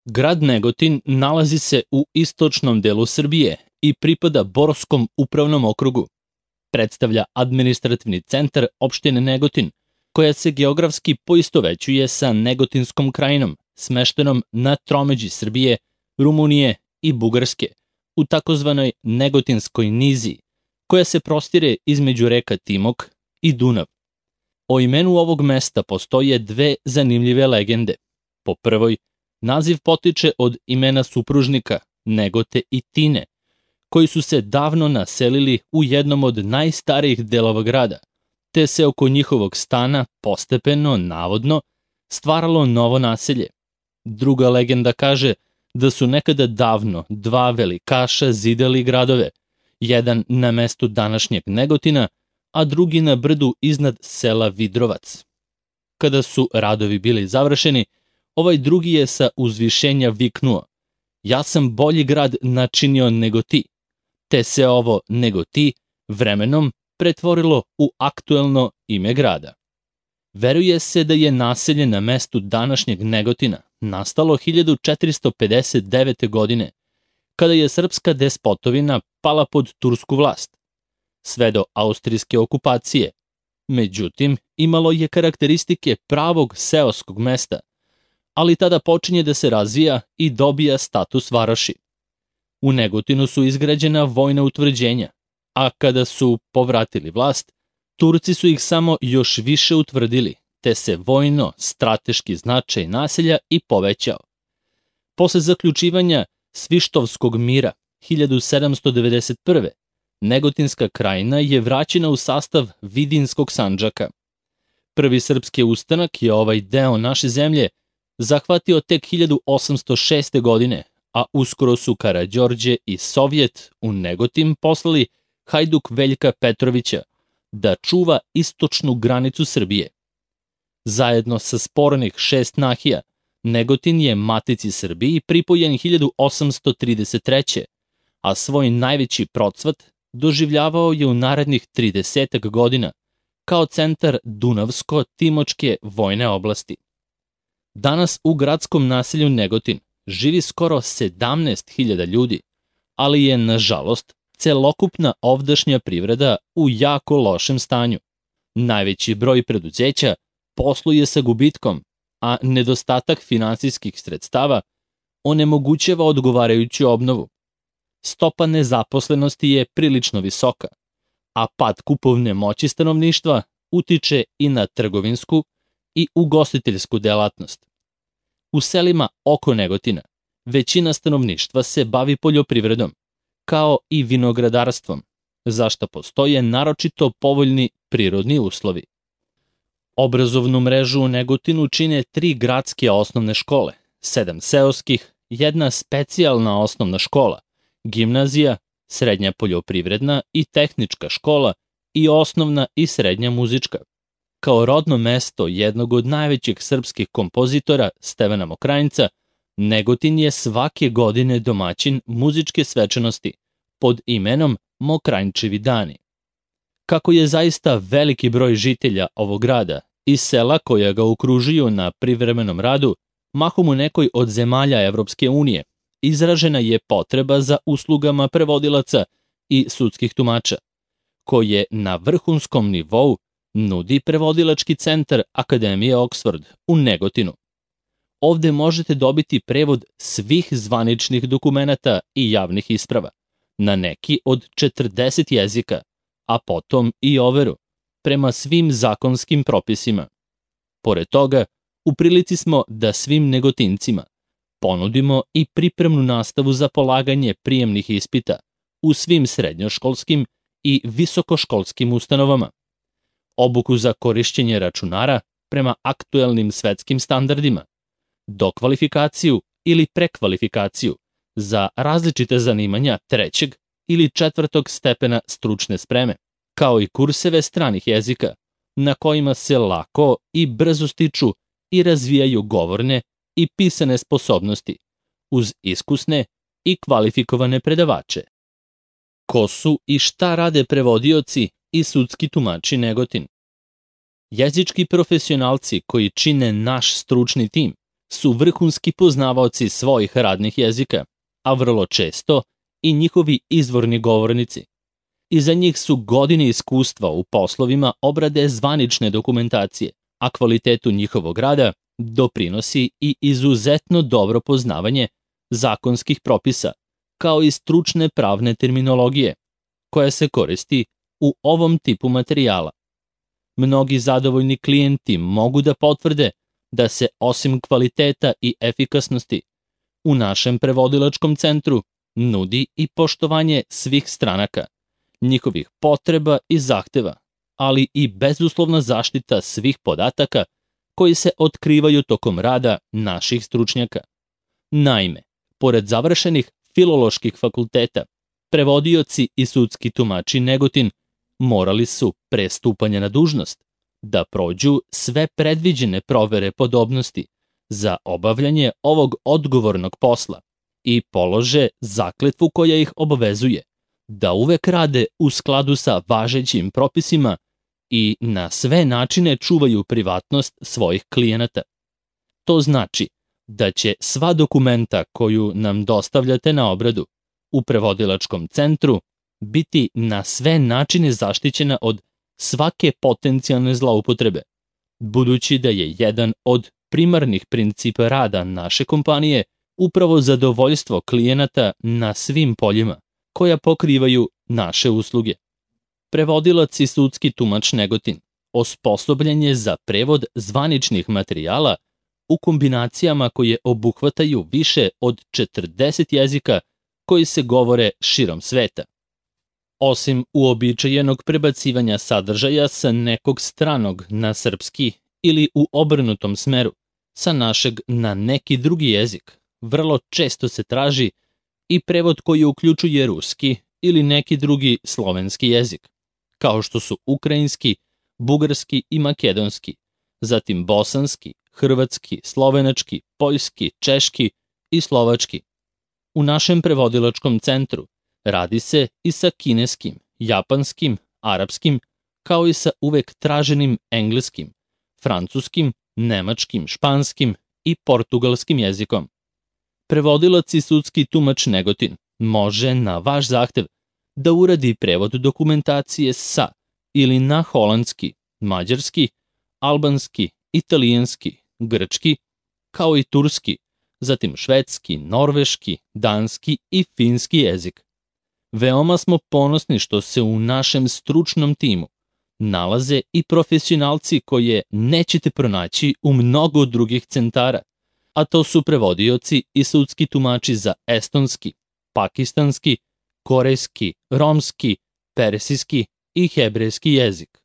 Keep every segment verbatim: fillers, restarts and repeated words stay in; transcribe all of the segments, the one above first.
Grad Negotin nalazi se u istočnom delu Srbije i pripada Borskom upravnom okrugu. Predstavlja administrativni centar opštine Negotin, koja se geografski poistovećuje sa Negotinskom krajinom, smeštenom na tromeđi Srbije, Rumunije i Bugarske, u takozvanoj Negotinskoj niziji, koja se prostire između reka Timok i Dunav. O imenu ovog mesta postoje dve zanimljive legende. Po prvoj, naziv potiče od imena supružnika Negote i Tine, koji su se davno naselili u jednom od najstarijih delova grada, te se oko njihovog stana postepeno, navodno, stvaralo novo naselje. Druga legenda kaže da su nekada davno dva velikaša zidali gradove, jedan na mestu današnjeg Negotina, a drugi na brdu iznad sela Vidrovac. Kada su radovi bili završeni, ovaj drugi je sa uzvišenja viknuo: "Ja sam bolji grad načinio nego ti", te se ovo nego ti vremenom pretvorilo u aktuelno ime grada. Veruje se da je naselje na mestu današnjeg Negotina nastalo hiljadu četiristo pedeset devete. godine, kada je srpska despotovina pala pod tursku vlast, sve do austrijske okupacije. Međutim, imalo je karakteristike pravog seoskog mesta, ali tada počinje da se razvija i dobija status varoši. U Negotinu su izgrađena vojna utvrđenja, a kada su povratili vlast, Turci su ih samo još više utvrdili, te se vojno-strateški značaj naselja i povećao. Posle zaključivanja Svištovskog mira hiljadu sedamsto devedeset prve. Negotinska krajina je vraćena u sastav Vidinskog Sandžaka. Prvi srpski ustanak je ovaj deo naše zemlje zahvatio tek hiljadu osamsto šeste. godine, a uskoro su Karađorđe i Sovjet u Negotin poslali Hajduk Veljka Petrovića da čuva istočnu granicu Srbije. Zajedno sa spornih šest nahija, Negotin je Matici Srbiji pripojen hiljadu osamsto trideset treće. a svoj najveći procvat doživljavao je u narednih tridesetak godina kao centar Dunavsko-Timočke vojne oblasti. Danas u gradskom naselju Negotin živi skoro sedamnaest hiljada ljudi, ali je, nažalost, celokupna ovdašnja privreda u jako lošem stanju. Najveći broj preduzeća posluje sa gubitkom, a nedostatak finansijskih sredstava onemogućava odgovarajuću obnovu. Stopa nezaposlenosti je prilično visoka, a pad kupovne moći stanovništva utiče i na trgovinsku i ugostiteljsku delatnost. U selima oko Negotina većina stanovništva se bavi poljoprivredom, kao i vinogradarstvom, za šta postoje naročito povoljni prirodni uslovi. Obrazovnu mrežu u Negotinu čine tri gradske osnovne škole, sedam seoskih, jedna specijalna osnovna škola, gimnazija, srednja poljoprivredna i tehnička škola i osnovna i srednja muzička. Kao rodno mesto jednog od najvećih srpskih kompozitora, Stevana Mokranjca, Negotin je svake godine domaćin muzičke svečanosti pod imenom Mokranjčevi dani. Kako je zaista veliki broj žitelja ovog grada i sela koja ga okružuju na privremenom radu, mahom u nekoj od zemalja Evropske unije, izražena je potreba za uslugama prevodilaca i sudskih tumača, koje na vrhunskom nivou nudi prevodilački centar Akademije Oxford u Negotinu. Ovde možete dobiti prevod svih zvaničnih dokumenata i javnih isprava na neki od četrdeset jezika, a potom i overu prema svim zakonskim propisima. Pored toga, u prilici smo da svim Negotincima ponudimo i pripremnu nastavu za polaganje prijemnih ispita u svim srednjoškolskim i visokoškolskim ustanovama, obuku za korišćenje računara prema aktuelnim svetskim standardima, dokvalifikaciju ili prekvalifikaciju za različite zanimanja trećeg ili četvrtog stepena stručne spreme, kao i kurseve stranih jezika, na kojima se lako i brzo stiču i razvijaju govorne i pisane sposobnosti, uz iskusne i kvalifikovane predavače. Ko su i šta rade prevodioci i sudski tumači Negotin? Jezički profesionalci koji čine naš stručni tim su vrhunski poznavaoci svojih radnih jezika, a vrlo često i njihovi izvorni govornici. Iza njih su godine iskustva u poslovima obrade zvanične dokumentacije, a kvalitetu njihovog rada doprinosi i izuzetno dobro poznavanje zakonskih propisa, kao i stručne pravne terminologije, koja se koristi u ovom tipu materijala. Mnogi zadovoljni klijenti mogu da potvrde da se osim kvaliteta i efikasnosti u našem prevodilačkom centru nudi i poštovanje svih stranaka, njihovih potreba i zahteva, ali i bezuslovna zaštita svih podataka koji se otkrivaju tokom rada naših stručnjaka. Naime, pored završenih filoloških fakulteta, prevodioci i sudski tumači Negotin morali su pre stupanja na dužnost da prođu sve predviđene provere podobnosti za obavljanje ovog odgovornog posla i polože zakletvu koja ih obavezuje da uvek rade u skladu sa važećim propisima i na sve načine čuvaju privatnost svojih klijenata. To znači da će sva dokumenta koju nam dostavljate na obradu u prevodilačkom centru biti na sve načine zaštićena od svake potencijalne zloupotrebe, budući da je jedan od primarnih principa rada naše kompanije upravo zadovoljstvo klijenata na svim poljima koja pokrivaju naše usluge. Prevodilac i sudski tumač Negotin osposobljen je za prevod zvaničnih materijala u kombinacijama koje obuhvataju više od četrdeset jezika koji se govore širom sveta. Osim uobičajenog prebacivanja sadržaja sa nekog stranog na srpski ili u obrnutom smeru, sa našeg na neki drugi jezik, vrlo često se traži i prevod koji uključuje ruski ili neki drugi slovenski jezik, kao što su ukrajinski, bugarski i makedonski, zatim bosanski, hrvatski, slovenački, poljski, češki i slovački. U našem prevodilačkom centru radi se i sa kineskim, japanskim, arapskim, kao i sa uvek traženim engleskim, francuskim, nemačkim, španskim i portugalskim jezikom. Prevodilac i sudski tumač Negotin može na vaš zahtev da uradi prevod dokumentacije sa ili na holandski, mađarski, albanski, italijanski, grčki, kao i turski, zatim švedski, norveški, danski i finski jezik. Veoma smo ponosni što se u našem stručnom timu nalaze i profesionalci koje nećete pronaći u mnogo drugih centara, a to su prevodioci i sudski tumači za estonski, pakistanski, korejski, romski, persijski i hebrejski jezik.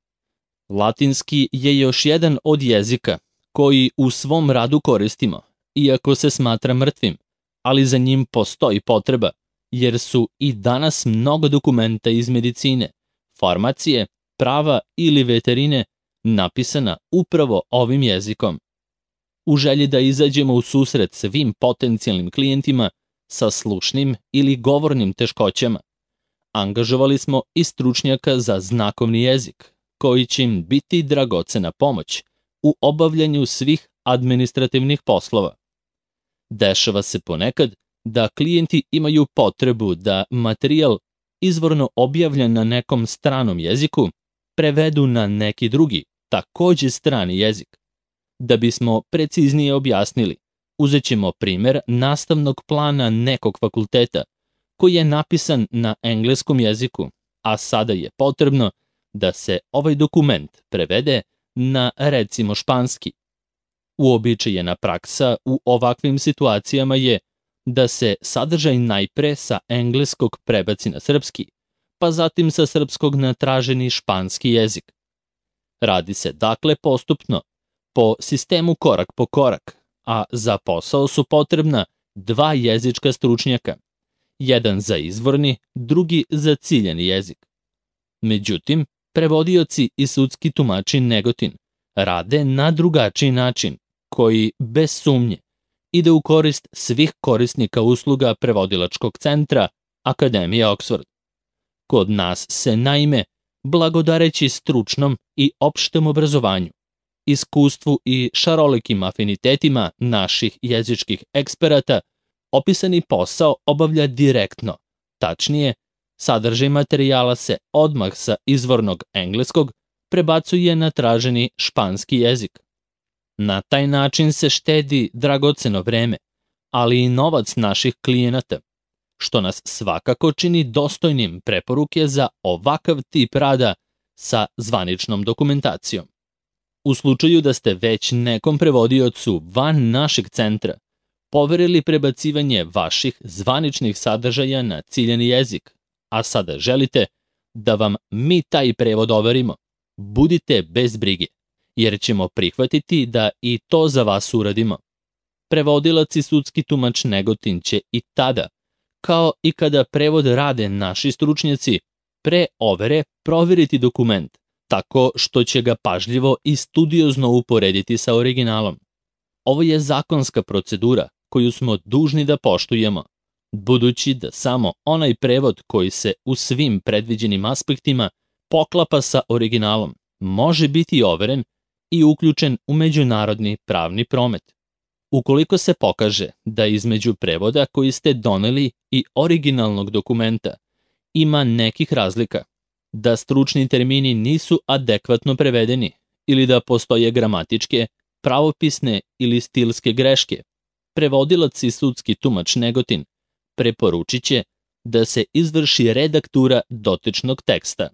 Latinski je još jedan od jezika koji u svom radu koristimo, iako se smatra mrtvim, ali za njim postoji potreba, jer su i danas mnogo dokumenta iz medicine, farmacije, prava ili veterine napisana upravo ovim jezikom. U želji da izađemo u susret svim potencijalnim klijentima sa slušnim ili govornim teškoćama, angažovali smo i stručnjaka za znakovni jezik, koji će im biti dragocena pomoć u obavljanju svih administrativnih poslova. Dešava se ponekad da klijenti imaju potrebu da materijal izvorno objavljen na nekom stranom jeziku prevedu na neki drugi, takođe strani jezik. Da bismo preciznije objasnili, uzet ćemo primer nastavnog plana nekog fakulteta koji je napisan na engleskom jeziku, a sada je potrebno da se ovaj dokument prevede na, recimo, španski. Uobičajena praksa u ovakvim situacijama je da se sadržaj najpre sa engleskog prebaci na srpski, pa zatim sa srpskog na traženi španski jezik. Radi se dakle postupno, po sistemu korak po korak, a za posao su potrebna dva jezička stručnjaka, jedan za izvorni, drugi za ciljani jezik. Međutim, prevodioci i sudski tumači Negotin rade na drugačiji način, koji, bez sumnje, ide u korist svih korisnika usluga prevodilačkog centra Akademije Oxford. Kod nas se, naime, blagodareći stručnom i opštem obrazovanju, iskustvu i šarolikim afinitetima naših jezičkih eksperata, opisani posao obavlja direktno, tačnije, sadržaj materijala se odmah sa izvornog engleskog prebacuje na traženi španski jezik. Na taj način se štedi dragoceno vreme, ali i novac naših klijenata, što nas svakako čini dostojnim preporuke za ovakav tip rada sa zvaničnom dokumentacijom. U slučaju da ste već nekom prevodiocu van našeg centra poverili prebacivanje vaših zvaničnih sadržaja na ciljani jezik, a sada želite da vam mi taj prevod overimo, budite bez brige, jer ćemo prihvatiti da i to za vas uradimo. Prevodilac i sudski tumač Negotin će i tada, kao i kada prevod rade naši stručnjaci, pre overe proveriti dokument, tako što će ga pažljivo i studiozno uporediti sa originalom. Ovo je zakonska procedura koju smo dužni da poštujemo, budući da samo onaj prevod koji se u svim predviđenim aspektima poklapa sa originalom može biti overen i uključen u međunarodni pravni promet. Ukoliko se pokaže da između prevoda koji ste doneli i originalnog dokumenta ima nekih razlika, da stručni termini nisu adekvatno prevedeni ili da postoje gramatičke, pravopisne ili stilske greške, prevodilac i sudski tumač Negotin preporučit će da se izvrši redaktura dotičnog teksta.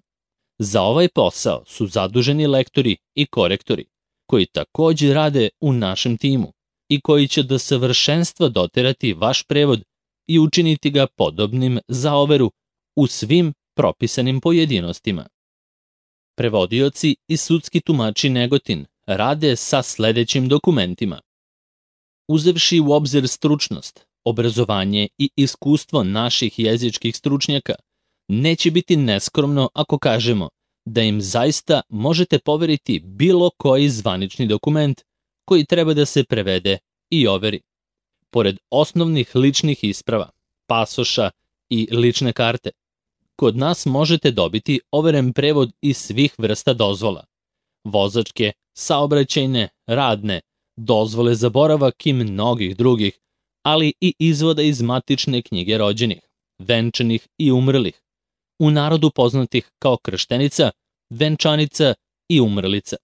Za ovaj posao su zaduženi lektori i korektori, koji takođe rade u našem timu i koji će do savršenstva doterati vaš prevod i učiniti ga podobnim za overu u svim propisanim pojedinostima. Prevodioci i sudski tumači Negotin rade sa sledećim dokumentima. Uzevši u obzir stručnost, obrazovanje i iskustvo naših jezičkih stručnjaka, neće biti neskromno ako kažemo da im zaista možete poveriti bilo koji zvanični dokument koji treba da se prevede i overi. Pored osnovnih ličnih isprava, pasoša i lične karte, kod nas možete dobiti overen prevod iz svih vrsta dozvola, vozačke, saobraćajne, radne, dozvole za boravak i mnogih drugih, ali i izvoda iz matične knjige rođenih, venčanih i umrlih, u narodu poznatih kao krštenica, venčanica i umrlica.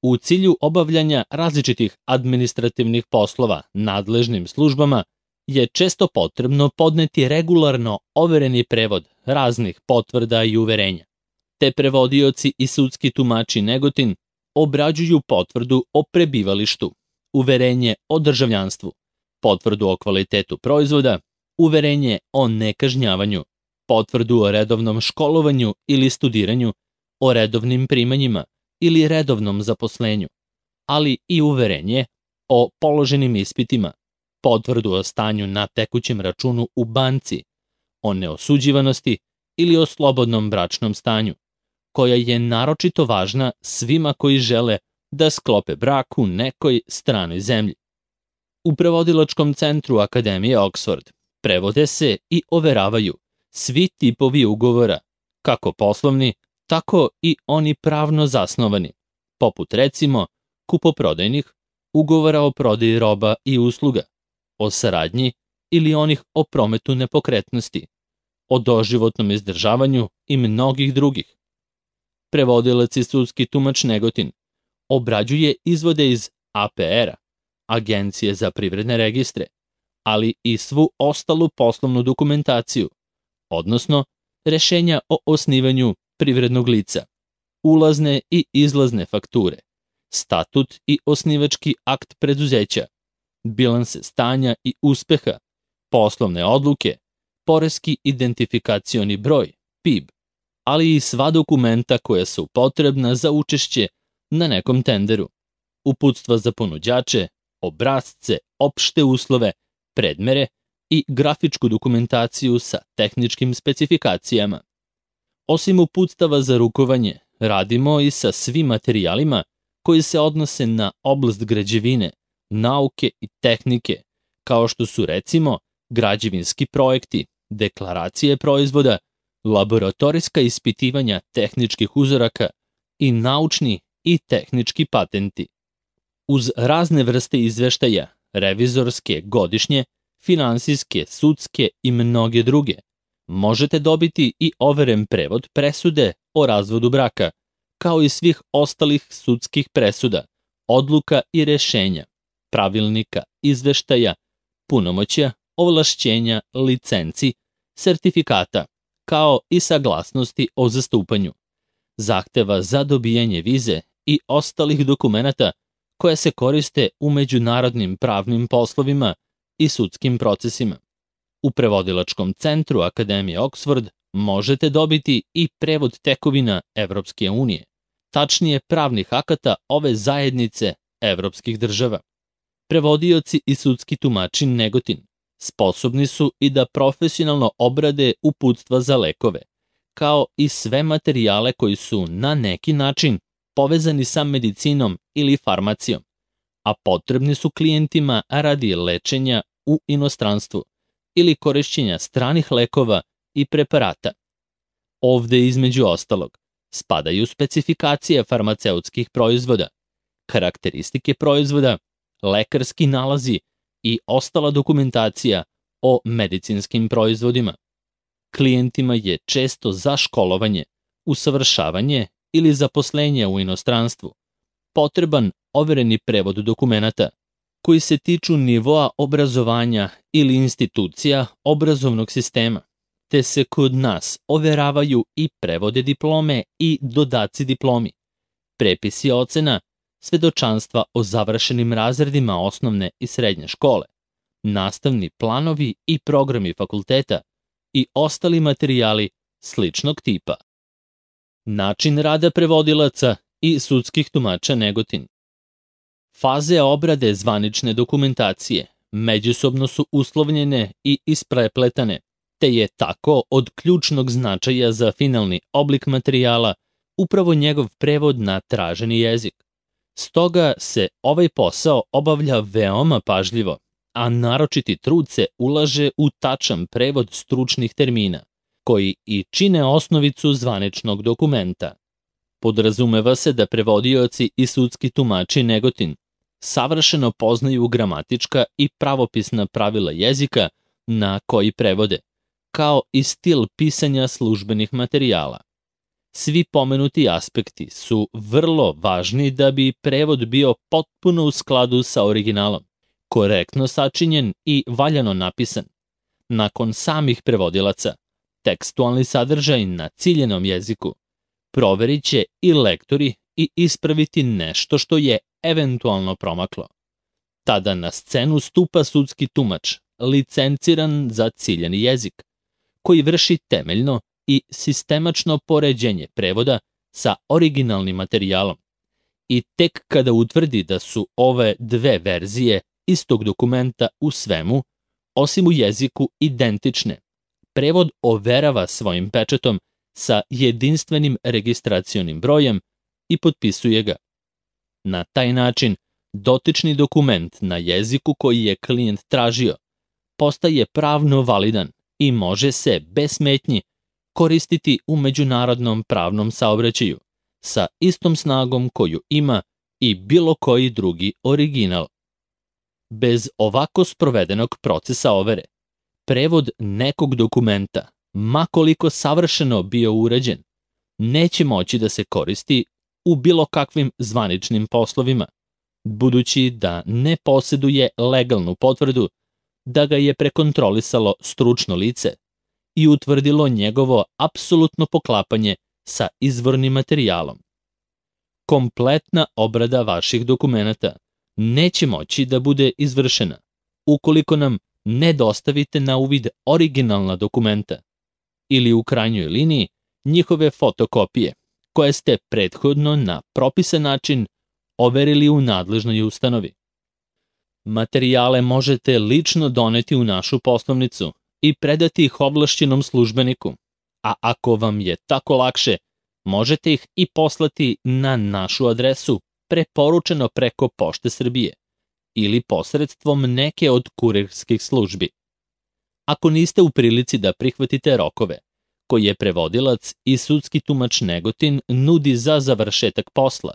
U cilju obavljanja različitih administrativnih poslova nadležnim službama je često potrebno podneti regularno overeni prevod raznih potvrda i uverenja. Te prevodioci i sudski tumači Negotin obrađuju potvrdu o prebivalištu, uverenje o državljanstvu, potvrdu o kvalitetu proizvoda, uverenje o nekažnjavanju, potvrdu o redovnom školovanju ili studiranju, o redovnim primanjima ili redovnom zaposlenju, ali i uverenje o položenim ispitima, potvrdu o stanju na tekućem računu u banci, o neosuđivanosti ili o slobodnom bračnom stanju, koja je naročito važna svima koji žele da sklope brak u nekoj stranoj zemlji. U prevodilačkom centru Akademije Oxford prevode se i overavaju svi tipovi ugovora, kako poslovni, tako i oni pravno zasnovani, poput recimo kupoprodajnih, ugovora o prodaji roba i usluga, o saradnji ili onih o prometu nepokretnosti, o doživotnom izdržavanju i mnogih drugih. Prevodilac i sudski tumač Negotin obrađuje izvode iz A P R-a, Agencije za privredne registre, ali i svu ostalu poslovnu dokumentaciju, odnosno rešenja o osnivanju privrednog lica, ulazne i izlazne fakture, statut i osnivački akt preduzeća, bilanse stanja i uspeha, poslovne odluke, poreski identifikacioni broj, P I B, ali i sva dokumenta koja su potrebna za učešće na nekom tenderu, uputstva za ponuđače, obrasce, opšte uslove, predmere i grafičku dokumentaciju sa tehničkim specifikacijama. Osim uputstava za rukovanje, radimo i sa svim materijalima koji se odnose na oblast građevine, nauke i tehnike, kao što su recimo građevinski projekti, deklaracije proizvoda, laboratorijska ispitivanja tehničkih uzoraka i naučni i tehnički patenti. Uz razne vrste izveštaja, revizorske, godišnje, finansijske, sudske i mnoge druge, možete dobiti i overen prevod presude o razvodu braka, kao i svih ostalih sudskih presuda, odluka i rešenja, pravilnika, izveštaja, punomoćja, ovlašćenja, licenci, sertifikata, kao i saglasnosti o zastupanju, zahteva za dobijanje vize i ostalih dokumenata koje se koriste u međunarodnim pravnim poslovima i sudskim procesima. U prevodilačkom centru Akademije Oxford možete dobiti i prevod tekovina Evropske unije, tačnije pravnih akata ove zajednice evropskih država. Prevodioci i sudski tumači Negotin sposobni su i da profesionalno obrade uputstva za lekove, kao i sve materijale koji su na neki način povezani sa medicinom ili farmacijom, a potrebni su klijentima radi lečenja u inostranstvu ili korišćenja stranih lekova i preparata. Ovde, između ostalog, spadaju specifikacije farmaceutskih proizvoda, karakteristike proizvoda, lekarski nalazi i ostala dokumentacija o medicinskim proizvodima. Klijentima je često za školovanje, usavršavanje ili zaposlenje u inostranstvu potreban overeni prevod dokumenata koji se tiču nivoa obrazovanja ili institucija obrazovnog sistema, te se kod nas overavaju i prevode diplome i dodaci diplomi, prepisi ocena, svedočanstva o završenim razredima osnovne i srednje škole, nastavni planovi i programi fakulteta i ostali materijali sličnog tipa. Način rada prevodilaca i sudskih tumača Negotin. Faze obrade zvanične dokumentacije međusobno su uslovljene i isprepletane, te je tako od ključnog značaja za finalni oblik materijala upravo njegov prevod na traženi jezik. Stoga se ovaj posao obavlja veoma pažljivo, a naročiti trud se ulaže u tačan prevod stručnih termina, koji i čine osnovicu zvaničnog dokumenta. Podrazumeva se da prevodioci i sudski tumači Negotin savršeno poznaju gramatička i pravopisna pravila jezika na koji prevode, kao i stil pisanja službenih materijala. Svi pomenuti aspekti su vrlo važni da bi prevod bio potpuno u skladu sa originalom, korektno sačinjen i valjano napisan. Nakon samih prevodilaca, tekstualni sadržaj na ciljenom jeziku proverit će i lektori i ispraviti nešto što je eventualno promaklo. Tada na scenu stupa sudski tumač, licenciran za ciljeni jezik, koji vrši temeljno i sistemačno poređenje prevoda sa originalnim materijalom. I tek kada utvrdi da su ove dve verzije istog dokumenta u svemu, osim u jeziku, identične, prevod overava svojim pečatom sa jedinstvenim registracionim brojem i potpisuje ga. Na taj način, dotični dokument na jeziku koji je klijent tražio postaje pravno validan i može se, bez smetnji, koristiti u međunarodnom pravnom saobraćaju sa istom snagom koju ima i bilo koji drugi original. Bez ovako sprovedenog procesa overe, prevod nekog dokumenta, ma koliko savršeno bio urađen, neće moći da se koristi u bilo kakvim zvaničnim poslovima, budući da ne poseduje legalnu potvrdu da ga je prekontrolisalo stručno lice i utvrdilo njegovo apsolutno poklapanje sa izvornim materijalom. Kompletna obrada vaših dokumenata neće moći da bude izvršena ukoliko nam ne dostavite na uvid originalna dokumenta ili u krajnjoj liniji njihove fotokopije koje ste prethodno na propisan način overili u nadležnoj ustanovi. Materijale možete lično doneti u našu poslovnicu i predati ih ovlašćenom službeniku, a ako vam je tako lakše, možete ih i poslati na našu adresu preporučeno preko Pošte Srbije ili posredstvom neke od kurirskih službi. Ako niste u prilici da prihvatite rokove koje prevodilac i sudski tumač Negotin nudi za završetak posla,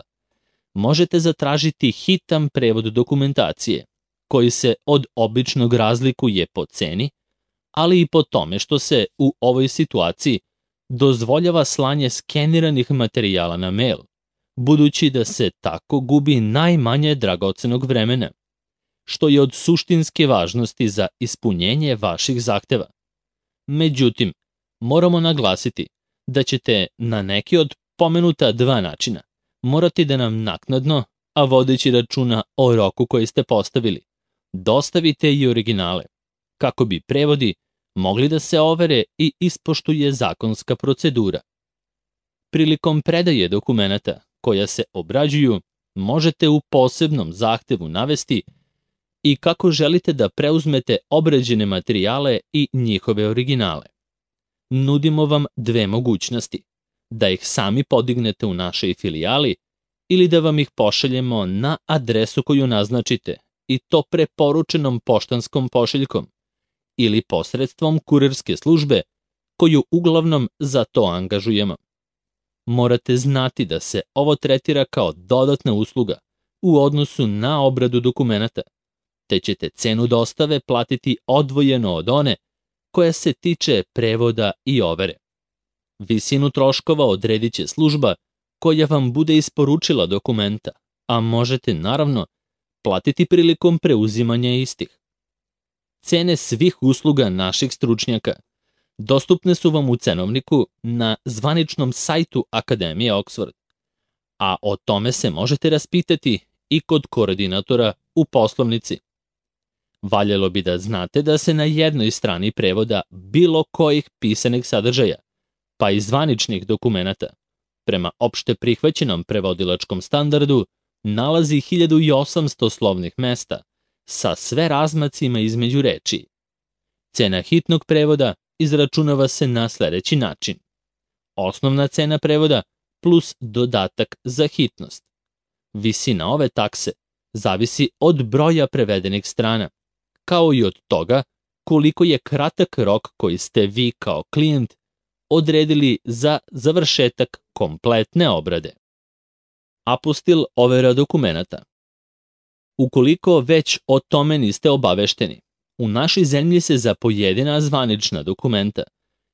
možete zatražiti hitan prevod dokumentacije, koji se od običnog razlikuje po ceni, ali i po tome što se u ovoj situaciji dozvoljava slanje skeniranih materijala na mail, budući da se tako gubi najmanje dragocenog vremena, što je od suštinske važnosti za ispunjenje vaših zahteva. Međutim, moramo naglasiti da ćete na neki od pomenuta dva načina morati da nam naknadno, a vodeći računa o roku koji ste postavili, dostavite i originale, kako bi prevodi mogli da se overe i ispoštuje zakonska procedura. Prilikom predaje dokumenata koja se obrađuju, možete u posebnom zahtevu navesti i kako želite da preuzmete obrađene materijale i njihove originale. Nudimo vam dve mogućnosti: da ih sami podignete u našoj filijali ili da vam ih pošaljemo na adresu koju naznačite, i to preporučenom poštanskom pošiljkom ili posredstvom kurirske službe koju uglavnom za to angažujemo. Morate znati da se ovo tretira kao dodatna usluga u odnosu na obradu dokumenata, te ćete cenu dostave platiti odvojeno od one koja se tiče prevoda i overe. Visinu troškova odredit će služba koja vam bude isporučila dokumenta, a možete naravno platiti prilikom preuzimanja istih. Cene svih usluga naših stručnjaka dostupne su vam u cenovniku na zvaničnom sajtu Akademije Oxford, a o tome se možete raspitati i kod koordinatora u poslovnici. Valjalo bi da znate da se na jednoj strani prevoda bilo kojih pisanih sadržaja, pa i zvaničnih dokumenata, prema opšte prihvaćenom prevodilačkom standardu, nalazi hiljadu osamsto slovnih mesta sa sve razmacima između reči. Cena hitnog prevoda izračunava se na sledeći način: osnovna cena prevoda plus dodatak za hitnost. Visina ove takse zavisi od broja prevedenih strana, kao i od toga koliko je kratak rok koji ste vi kao klijent odredili za završetak kompletne obrade. Apostil overa dokumenata. Ukoliko već o tome niste obavešteni, u našoj zemlji se za pojedina zvanična dokumenta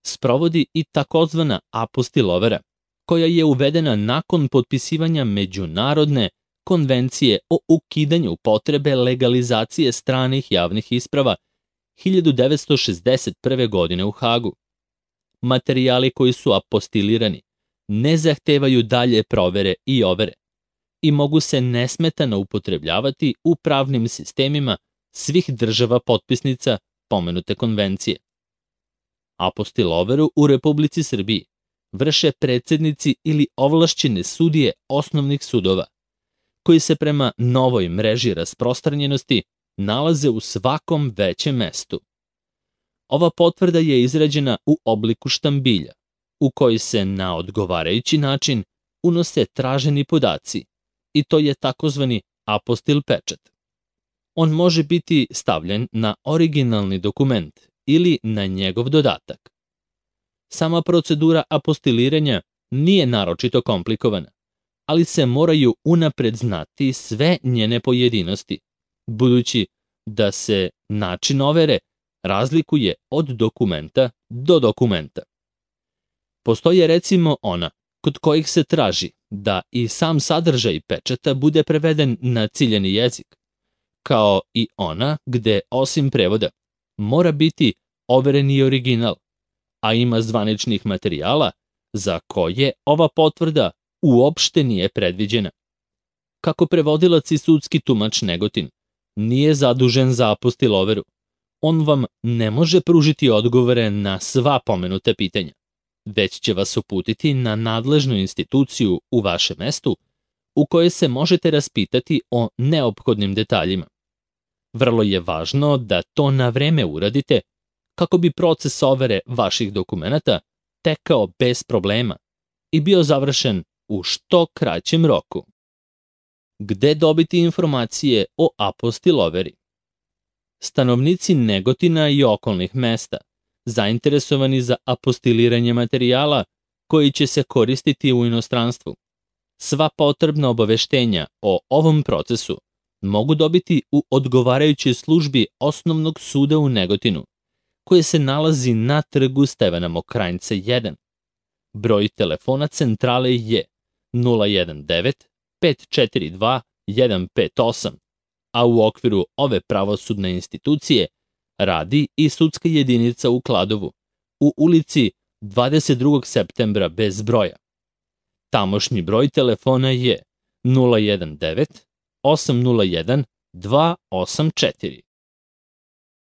sprovodi i takozvana apostil overa, koja je uvedena nakon potpisivanja Međunarodne konvencije o ukidanju potrebe legalizacije stranih javnih isprava hiljadu devetsto šezdeset prve. godine u Hagu. Materijali koji su apostilirani ne zahtevaju dalje provere i overe i mogu se nesmetano upotrebljavati u pravnim sistemima svih država potpisnica pomenute konvencije. Apostil overu u Republici Srbiji vrše predsednici ili ovlašćene sudije osnovnih sudova, koji se prema novoj mreži rasprostranjenosti nalaze u svakom većem mestu. Ova potvrda je izrađena u obliku štambilja, u koji se na odgovarajući način unose traženi podaci, i to je takozvani apostil pečat. On može biti stavljen na originalni dokument ili na njegov dodatak. Sama procedura apostiliranja nije naročito komplikovana, ali se moraju unapred znati sve njene pojedinosti, budući da se način overe razlikuje od dokumenta do dokumenta. Postoje recimo ona kod kojih se traži da i sam sadržaj pečata bude preveden na ciljani jezik, kao i ona gde osim prevoda mora biti overen i original, a ima zvaničnih materijala za koje ova potvrda uopšte nije predviđena. Kako prevodilac i sudski tumač Negotin nije zadužen za apostil overu, on vam ne može pružiti odgovore na sva pomenuta pitanja, već će vas uputiti na nadležnu instituciju u vašem mestu u kojoj se možete raspitati o neophodnim detaljima. Vrlo je važno da to na vreme uradite kako bi proces overe vaših dokumenata tekao bez problema i bio završen u što kraćem roku. Gde dobiti informacije o apostil overi? Stanovnici Negotina i okolnih mesta, zainteresovani za apostiliranje materijala koji će se koristiti u inostranstvu, Sva potrebna obaveštenja o ovom procesu mogu dobiti u odgovarajućoj službi Osnovnog suda u Negotinu, koje se nalazi na trgu Stevana Mokranjca jedan. Broj telefona centrale je nula jedan devet pet četiri dva jedan pet osam, a u okviru ove pravosudne institucije radi i sudska jedinica u Kladovu, u ulici dvadeset drugog septembra bez broja. Tamošnji broj telefona je nula jedan devet osam nula jedan dva osam četiri.